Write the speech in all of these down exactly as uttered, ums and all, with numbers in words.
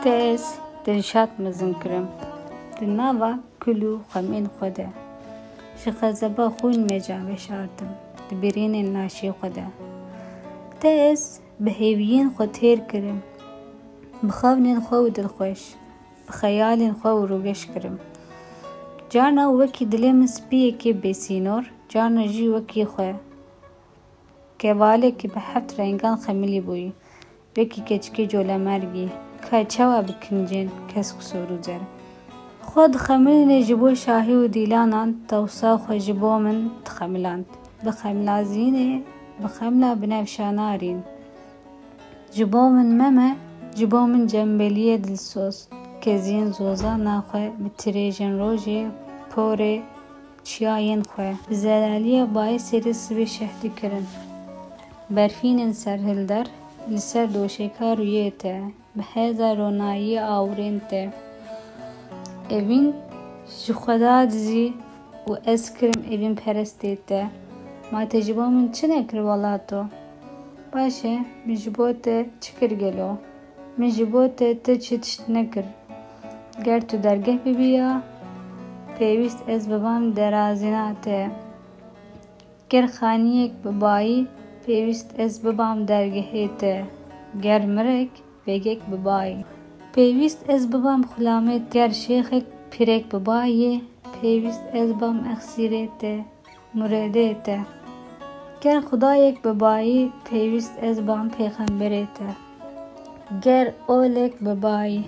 Te ez Dilşad mezin kirim. Di nava kul û xemên xwe de. Ji xezeba xwîn meca veşartim. Di birînên laşê xwe de. Te ez bi hêviyên xwe têr kirim. Bi xewnên xwe û dilxweş. Bi xeyalên xwe û rûgeş kirim. Carna wekî dilê min spiyekê bêsînor, carna jî wekî xwe. Kevalekî bi heft rengan xemilî bûyî. Wekî keçikê colemergî. Ka çawa bi kincên kesk û sor û zer. Xwe dixemilîne ji bo şahî û dîlanan, tewsa xwe ji bo min dixemiland. Bi xemilazînê, bi xemla binevşa narîn. Ji bo min meme, ji bo min cembeliyê dilsoz. Keziyên zozana xwe bi tirêjên rojê, porê, çiyayên xwe. Bi zelaliya bayê serê sibê şeh dikirin. Berfînên serhilder li ser doşeka rûyê te, bi heza ronayiyê awirên te. Evîn ji Xweda dizî û ez kirim evîn perestê te. Ma te ji bo min çi nekir welato? Baş e, min ji bo te çi kir gelo? Min ji bo te ti çi tişt nekir? Ger tu dergeh bibîya, pêwîst ez bibam derazîna te. Ger xaniyek bibayî, pêwîst ez bibam dergehê te. Ger mirek, pêgek bibayî. Pêwîst ez bibam xulamê te. Ger şêxek pîrek bibayî, pêwîst ez bam exsîrê te, muredê te. Ger xudayek bibayî, pêwîst ez bam pêxemberê te. Ger olek bibayî,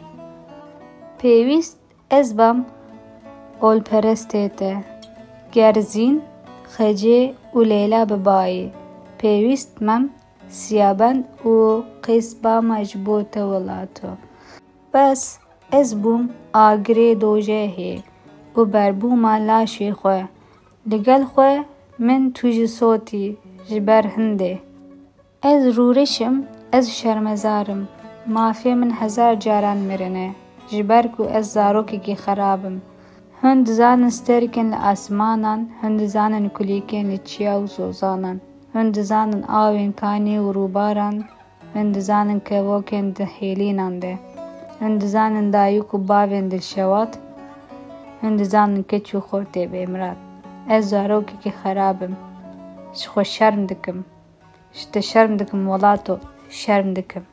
pêwîst ez bam olperestê te. Ger Zîn, Xecê û Leyla bibayî, pêwîst mem siyabend û qîs bama ji bo te welato. Bes ez bûm agirê dojehê û berbûma laşê xwe. Li gel xwe min tu jî sotî ji ber hindê. Ez rûreş im, ez şermezar im. Mafê min hezar caran mirine, ji ber ku ez zarokekî xerab im. Hûn dizanin sterkên li asmanan, hûn dizanin kulîkên li çiya û zozanan. Hûn dizanin awên kanî û rûbaran, hûn dizanin kevokên di hêlînan de. Hûn dizanin dayik û bavên dilşewat, hûn dizanin keç û xortê bêmirad. Ez zarokekî xerab im. Ji xwe şerm dikim. Ji te şerm dikim welato, şerm dikim.